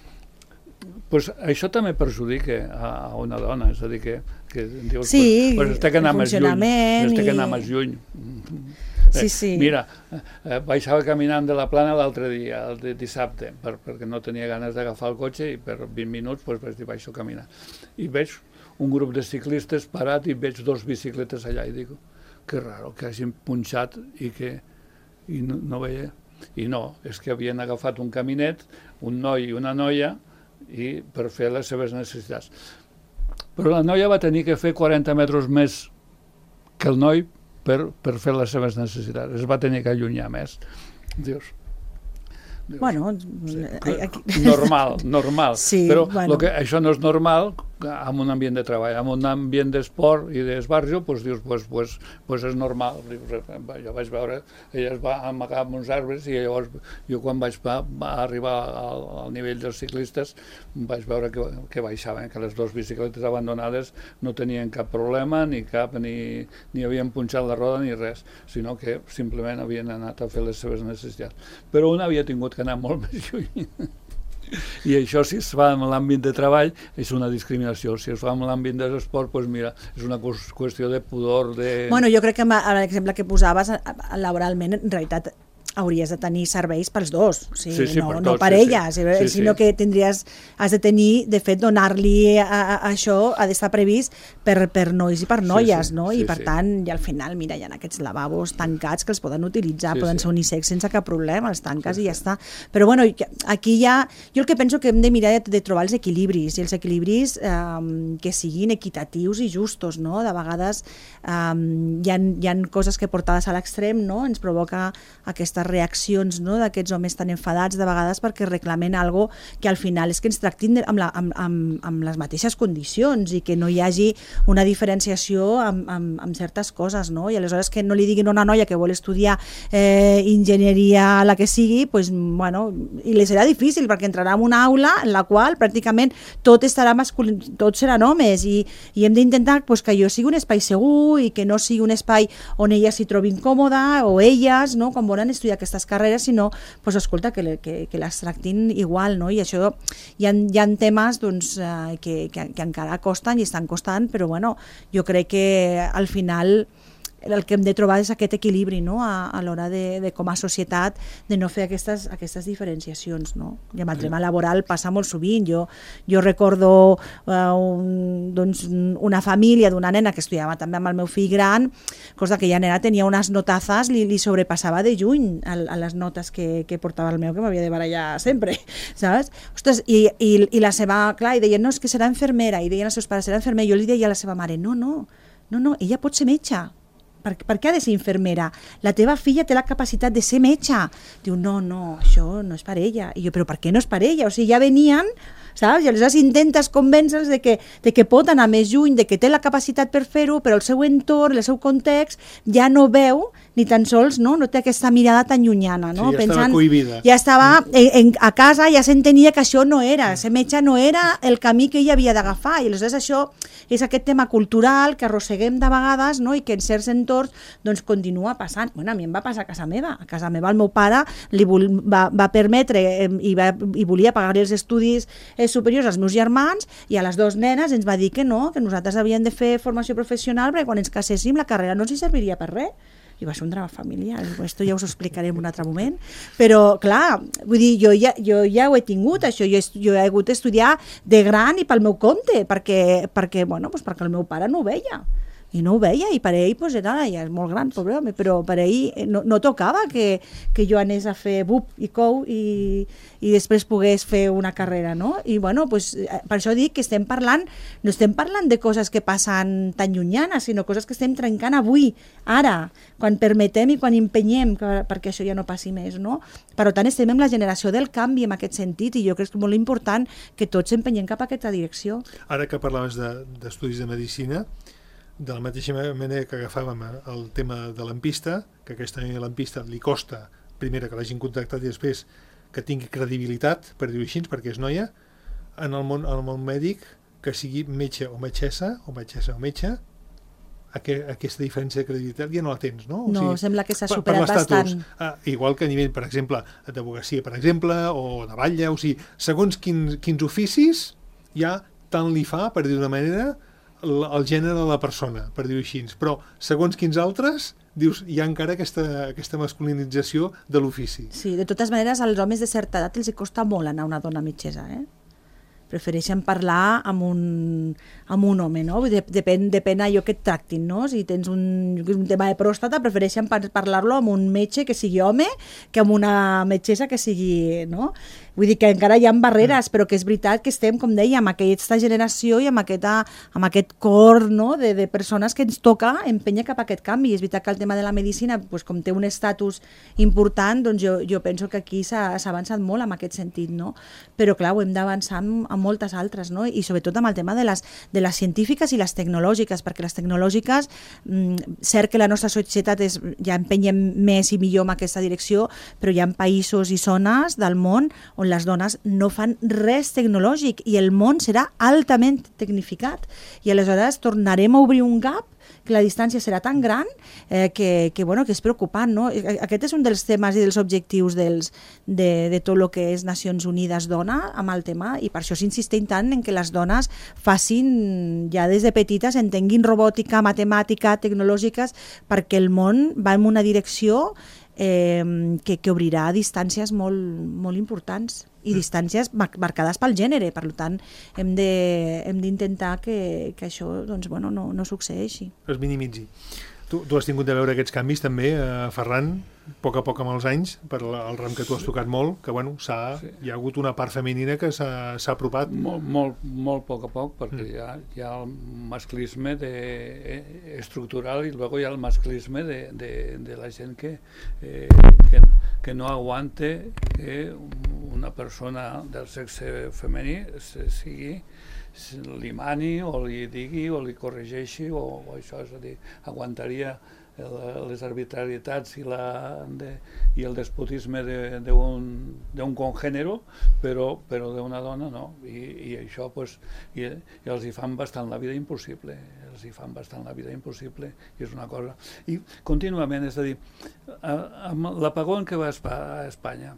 això també perjudica a una dona, és a dir, que dius, es té que anar més lluny. Mira, baixava caminant de la Plana l'altre dia, el dissabte, perquè no tenia ganes d'agafar el cotxe i per 20 minuts vaig dir, baixo a caminar. I veig un grup de ciclistes parat i veig 2 bicicletes allà i dic, que raro que hagin punxat i no veia. I no, és que havien agafat un caminet, un noi i una noia, i per fer les seves necessitats. Però la noia va tenir que fer 40 metres més que el noi per fer les seves necessitats. Es va tenir que allunyar més. Dius, bueno, normal, però això no és normal en un ambient de treball, en un ambient d'esport i d'esbarjo, dius, és normal. Jo vaig veure, ella es va amagar amb uns arbres i llavors jo quan vaig arribar al nivell dels ciclistes vaig veure que baixaven, que les 2 bicicletes abandonades no tenien cap problema, ni havien punxat la roda ni res, sinó que simplement havien anat a fer les seves necessitats. Però una havia tingut que anar molt més lluny. I això, si es fa en l'àmbit de treball, és una discriminació. Si es fa en l'àmbit de l'esport, doncs mira, és una qüestió de pudor. Bueno, jo crec que l'exemple que posaves, laboralment, en realitat hauries de tenir serveis pels dos, no per elles, sinó que has de tenir, de fet, donar-li això, ha d'estar previst per nois i per noies, no? I per tant, i al final, mira, hi ha aquests lavabos tancats que els poden utilitzar, poden ser unisex sense cap problema, els tanques i ja està. Però bueno, aquí jo el que penso que hem de mirar de trobar els equilibris, i els equilibris que siguin equitatius i justos, no? De vegades hi ha coses que portades a l'extrem, no? Ens provoca aquestes reaccions, no? D'aquests homes tan enfadats de vegades perquè reclamen algo que al final és que ens tractin amb les mateixes condicions i que no hi hagi una diferenciació amb certes coses, no? I aleshores que no li diguin a una noia que vol estudiar enginyeria, la que sigui, pues, bueno, i li serà difícil perquè entrarà en una aula en la qual pràcticament tot estarà masculí, tots seran homes i hem d'intentar pues, que allò sigui un espai segur i que no sigui un espai on ella s'hi trobi incòmoda o elles, no? Quan volen estudiar aquestes carreres, sinó, pues, escolta, que les tractin igual, no? I això hi ha temes doncs, que encara costen i estan costant, però bueno, jo crec que al final el que hem de trobar és aquest equilibri, no? A l'hora de com a societat, de no fer aquestes diferenciacions, no? I amb el tema laboral passa molt sovint. Jo recordo una família d'una nena que estudiava també amb el meu fill gran, cosa que ja nena tenia unes notazes, li sobrepassava de juny a les notes que portava el meu, que m'havia de barallar sempre, saps? Ostres, i la seva, clar, i deien, no, és que serà infermera, i deien els seus pares, serà infermera, jo li deia a la seva mare, no, ella pot ser metge. Per què ha de ser infermera? La teva filla té la capacitat de ser metge. Diu, no, això no és per ella. I jo, però per què no és per ella? O sigui, ja venien, saps? I aleshores intentes convèncer-los de que pot anar més lluny, de que té la capacitat per fer-ho, però el seu entorn, el seu context, ja no veu ni tan sols, no té aquesta mirada tan llunyana. No? Sí, ja estava cohibida. Ja estava a casa, ja s'entenia que això no era, ser metge no era el camí que ella havia d'agafar, i aleshores això és aquest tema cultural que arrosseguem de vegades, no? I que en certs entorns doncs, continua passant. Bueno, a mi em va passar a casa meva. A casa meva el meu pare va permetre i volia pagar-li els estudis superiors als meus germans, i a les dues nenes ens va dir que no, que nosaltres havíem de fer formació professional perquè quan ens caséssim la carrera no ens hi serviria per res. I va ser un drama familiar, esto ja us ho explicaré en un altre moment, però clar, vull dir, jo ja ho he tingut, això, jo he hagut d'estudiar de gran i pel meu compte, perquè el meu pare no ho veia. I no ho veia, i per ell ja és molt gran, pobre home, però per ell no tocava que jo anés a fer BUP i COU i després pogués fer una carrera, no? I per això dic que no estem parlant de coses que passen tan llunyanes, sinó coses que estem trencant avui, ara, quan permetem i quan empenyem perquè això ja no passi més, no? Per tant, estem en la generació del canvi en aquest sentit, i jo crec que és molt important que tots empenyem cap a aquesta direcció. Ara que parlaves d'estudis de medicina, de la mateixa manera que agafàvem el tema de l'ampista, que aquesta l'ampista li costa, primera, que l'hagin contactat i després que tingui credibilitat, per dir-ho així, perquè és noia, en el món mèdic, que sigui metge o metgessa, o metge, aquesta diferència de credibilitat ja no la tens, no? No, sembla que s'ha superat bastant. Igual que a nivell, per exemple, d'advocacia, per exemple, o de batlle, o sigui, segons quins oficis ja tant li fa, per dir d'una manera, el gènere de la persona, per dir-ho així, però segons quins altres dius, hi ha encara aquesta masculinització de l'ofici. Sí, de totes maneres, als homes de certa edat els costa molt anar a una dona metgessa, prefereixen parlar amb un home, no? Depèn allò que et tractin, no? Si tens un tema de pròstata, prefereixen parlar-lo amb un metge que sigui home que amb una metgessa que sigui, no? Vull dir que encara hi ha barreres, però que és veritat que estem, com deia, amb aquesta generació i amb aquest cor, no? de persones que ens toca empènyer cap a aquest canvi. I és veritat que el tema de la medicina, com té un estatus important, doncs jo penso que aquí s'ha avançat molt en aquest sentit, no? Però clar, ho hem d'avançar amb moltes altres, no? I sobretot amb el tema de les científiques i les tecnològiques, perquè les tecnològiques, cert que la nostra societat ja empenyem més i millor en aquesta direcció, però hi ha països i zones del món on les dones no fan res tecnològic i el món serà altament tecnificat. I aleshores tornarem a obrir un gap, que la distància serà tan gran que és preocupant, no? Aquest és un dels temes i dels objectius de tot el que és Nacions Unides Dona amb el tema, i per això s'insisteix tant en que les dones facin, ja des de petites, entenguin robòtica, matemàtica, tecnològiques, perquè el món va en una direcció que obrirà distàncies molt importants i distàncies marcades pel gènere. Per tant, hem d'intentar que això no succeeixi. Es minimitzi. Tu has tingut de veure aquests canvis també, Ferran, a poc amb els anys, per el ram que tu has tocat molt, que hi ha hagut una part femenina que s'ha apropat. Molt poc a poc, perquè hi ha el masclisme estructural i luego hi ha el masclisme de la gent que no aguante que una persona del sexe femení li mani o li digui o li corregeixi o això, és a dir, aguantaria les arbitrarietats i el despotisme d'un congènere, però d'una dona no, i això i els hi fan bastant la vida impossible, i és una cosa. I contínuament, és a dir, amb l'apagón que va a Espanya,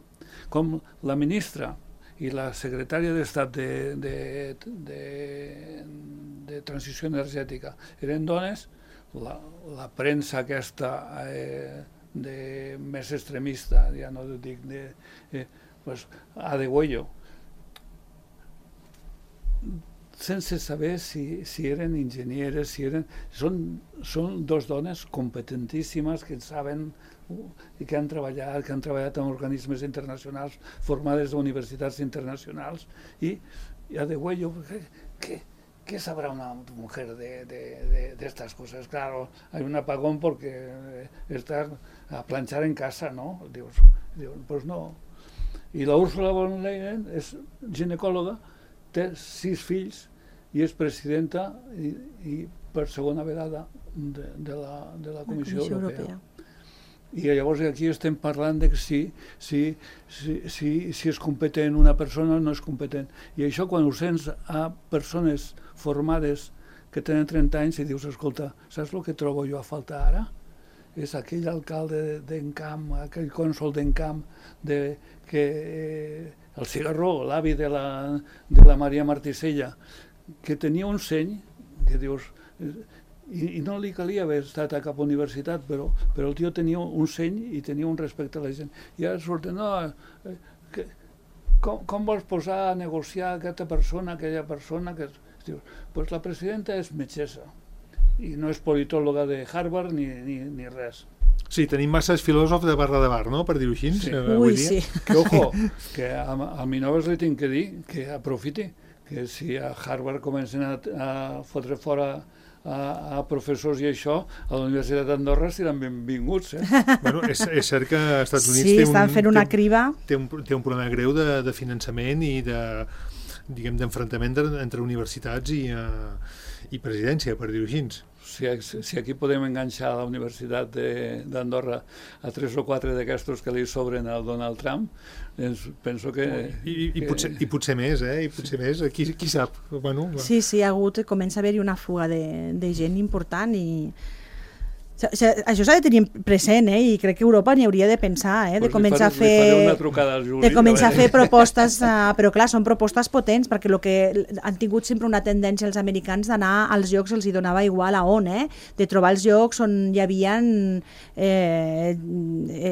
com la ministra i la secretària d'Estat de Transició Energètica eren dones, la premsa aquesta més extremista, ja no dic pues, a degüello, sense saber si eren enginyeres, són dos dones competentíssimes que saben i que han treballat en organismes internacionals, formades a universitats internacionals, i a degüello, ¿qué sabrá una mujer de estas cosas? Claro, hay un apagón porque está a planchar en casa, ¿no? Digo, pues no. I la Ursula von Leyen és ginecòloga, té 6 fills i és presidenta i per segona vegada de la Comissió Europea. I llavors aquí estem parlant de si és competent una persona o no és competent. I això quan ho sents a persones formades que tenen 30 anys i dius, escolta, saps el que trobo jo a faltar ara? És aquell alcalde d'Encamp, aquell cònsol d'Encamp, el Cigarró, l'avi de la Maria Martisella, que tenia un seny, que dius, i no li calia haver estat a cap universitat, però el tio tenia un seny i tenia un respecte a la gent. I ara surten, no, com vols posar a negociar aquesta persona, aquella persona? Doncs la presidenta és metgessa i no és politòloga de Harvard ni res. Sí, tenim masses filòsofs de barra de bar, no?, per dir-ho així. Sí. Ui, sí. Que, ojo, que a Minoves li tinc que dir que aprofiti, que si a Harvard comencen a fotre fora a professors i això, a la Universitat d'Andorra seran benvinguts. Bueno, és cert que als Estats Units estan fent una criba. Té un problema greu de finançament i d'enfrontament entre universitats i presidència, per dir-ho així. Si aquí podem enganxar a la Universitat d'Andorra a 3 o 4 d'aquestos que li sobren al Donald Trump, penso que... I potser més, i potser més, qui sap? Bueno, sí, comença a haver-hi una fuga de gent important i... Això s'ha de tenir present, i crec que Europa n'hi hauria de pensar, de començar a fer propostes, però clar, són propostes potents, perquè el que han tingut sempre una tendència els americans d'anar als llocs, els hi donava igual a on, de trobar els llocs on hi havia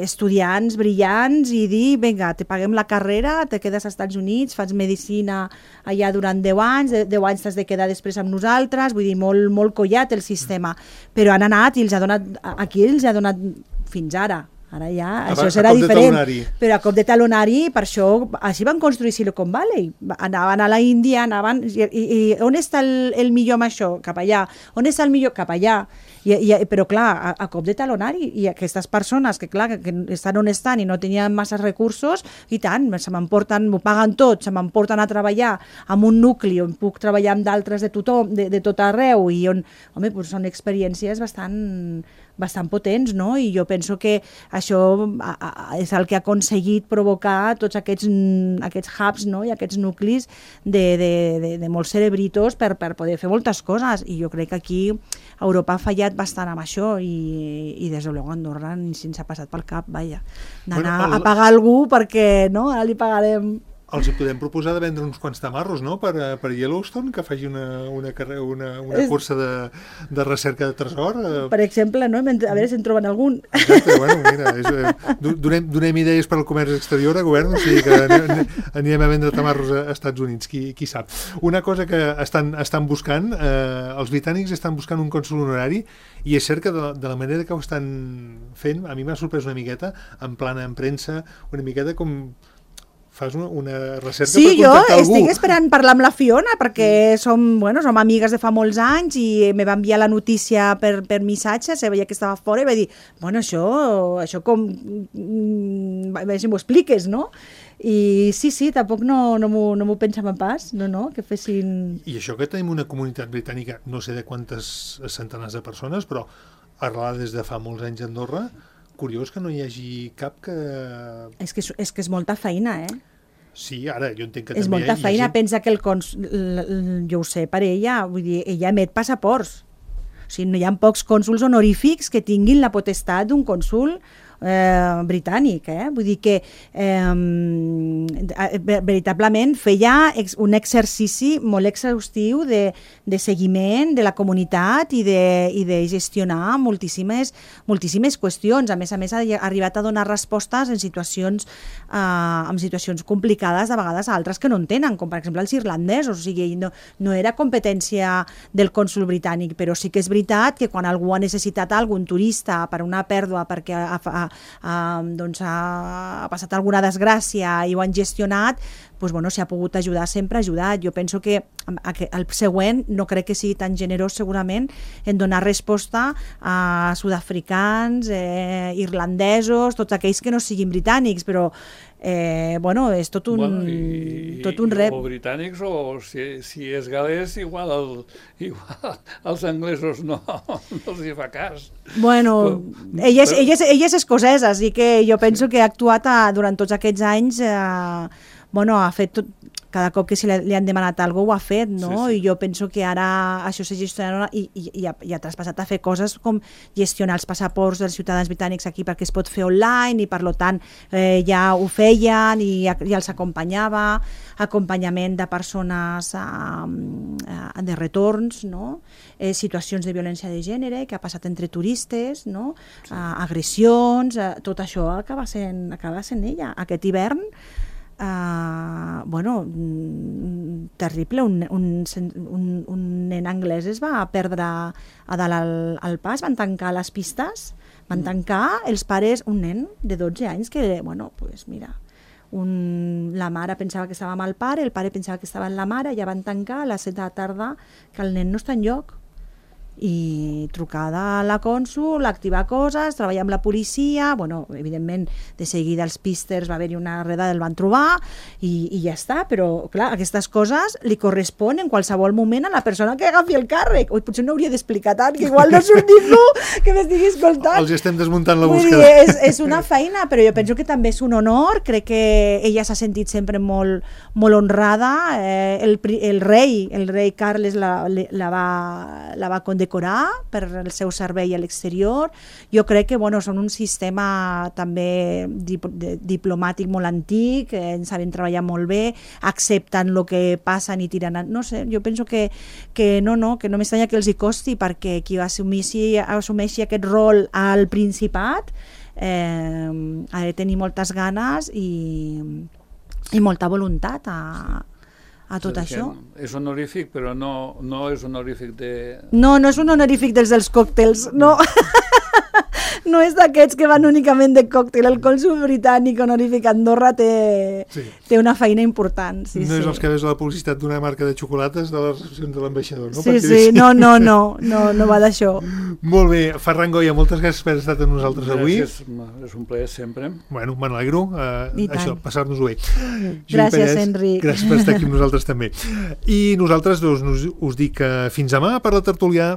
estudiants brillants i dir, vinga, te paguem la carrera, te quedes als Estats Units, fas medicina allà durant 10 anys, 10 anys t'has de quedar després amb nosaltres, vull dir, molt collat el sistema, però han anat i els ha donat aquí els ha donat fins ara ja, això serà diferent, però a cop de talonari, per això així van construir Silicon Valley, anaven a la Índia, i on està el millor amb això? Cap allà. On està el millor? Cap allà. Però clar, a cop de talonari, i aquestes persones que clar, que estan on estan i no tenien massa recursos, i tant, se m'emporten, m'ho paguen tot, se m'emporten a treballar amb un nucli on puc treballar amb d'altres de tothom, de tot arreu, i on, home, doncs són experiències bastant potents, no? I jo penso que això és el que ha aconseguit provocar tots aquests hubs, no? I aquests nuclis de molts cerebritos per poder fer moltes coses, i jo crec que aquí Europa ha fallat bastant amb això i des de luego Andorra ni se'ns ha passat pel cap, vaja, d'anar a pagar algú perquè no, ara li pagarem. Els hi podem proposar de vendre uns quants tamarros, no?, per Yellowstone, que faci una cursa de recerca de tresor. Per exemple, no?, a veure si en troben algun. Exacte, bueno, mira, donem idees per al comerç exterior a govern, o sigui que anirem a vendre tamarros a Estats Units, qui sap. Una cosa que estan buscant, els britànics estan buscant un cònsol honorari, i és cert que de la manera que ho estan fent, a mi m'ha sorprès una miqueta, en plana, en premsa, una miqueta com... fas una recerca per contactar algú. Sí, jo estic esperant parlar amb la Fiona perquè som amigues de fa molts anys i me va enviar la notícia per missatge, se veia que estava fora i va dir, bueno, això com... a veure si m'ho expliques, no? I sí, tampoc no m'ho pensava pas, no, que fessin... I això que tenim una comunitat britànica, no sé de quantes centenars de persones, però arrelada des de fa molts anys a Andorra, curiós que no hi hagi cap que... És que és molta feina, Sí, ara, jo entenc que és també molta feina, pensa que jo ho sé per ella, vull dir, ella emet passaports. O sigui, no hi ha pocs cònsuls honorífics que tinguin la potestat d'un cònsul britànic, vull dir que veritablement feia un exercici molt exhaustiu de seguiment de la comunitat i de gestionar moltíssimes qüestions. A més, ha arribat a donar respostes en situacions complicades, de vegades a altres que no en tenen, com per exemple els irlandesos. O sigui, no era competència del cònsul britànic, però sí que és veritat que quan algú ha necessitat algun turista per una pèrdua, perquè ha passat alguna desgràcia i ho han gestionat, doncs, bueno, si ha pogut ajudar, sempre ha ajudat. Jo penso que el següent no crec que sigui tan generós segurament en donar resposta a sud-africans, irlandesos, tots aquells que no siguin britànics, però bueno, és tot un rep. O britànics, o si és galès, igual als anglesos no els hi fa cas. Bueno, ell és escocès, així que jo penso que ha actuat durant tots aquests anys, ha fet tot, cada cop que li han demanat alguna cosa ho ha fet, no? Sí. I jo penso que ara això s'ha gestionat i ha traspassat a fer coses com gestionar els passaports dels ciutadans britànics aquí perquè es pot fer online i per tant ja ho feien i els acompanyava, acompanyament de persones de retorns, no? Situacions de violència de gènere que ha passat entre turistes, no? Agressions, tot això acaba sent ella. Aquest hivern terrible, un nen anglès es va perdre a dalt al pas, van tancar les pistes, van tancar els pares, un nen de 12 anys que, la mare pensava que estava amb el pare pensava que estava amb la mare, ja van tancar a les 7 de la tarda que el nen no està enlloc. I trucada a la cònsul, activar coses, treballar amb la policia, evidentment de seguida els písters va haver-hi una redada, el van trobar i ja està, però clar, aquestes coses li correspon en qualsevol moment a la persona que agafi el càrrec. Potser no hauria d'explicar tant, que igual no surt ningú que m'estigui escoltant. Els estem desmuntant la búsqueda. És una feina, però jo penso que també és un honor, crec que ella s'ha sentit sempre molt honrada, el rei Carles la va condecorar per el seu servei a l'exterior. Jo crec que són un sistema també diplomàtic molt antic, saben treballar molt bé, accepten el que passen i tiren... No sé, jo penso que no m'estranya que els hi costi, perquè qui assumeixi aquest rol al Principat ha de tenir moltes ganes i molta voluntat a tot això. És honorífic, però no és honorífic de... No és un honorífic dels còctels, no. No és d'aquests que van únicament de còctel. El cònsul britànic honorífic a Andorra té una feina important. No és els que veus a la publicitat d'una marca de xocolates de les recepcions de l'ambaixador, no? Sí, no va d'això. Molt bé, Ferran Goya, moltes gràcies per haver estat amb nosaltres avui. És un plaer sempre. Bueno, me n'alegro, passar-nos-ho bé. Gràcies, Enric. Gràcies per estar aquí amb nosaltres també. I nosaltres us dic fins demà per la tertúlia.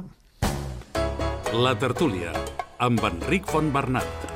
La tertúlia, amb Enric Fontbernat.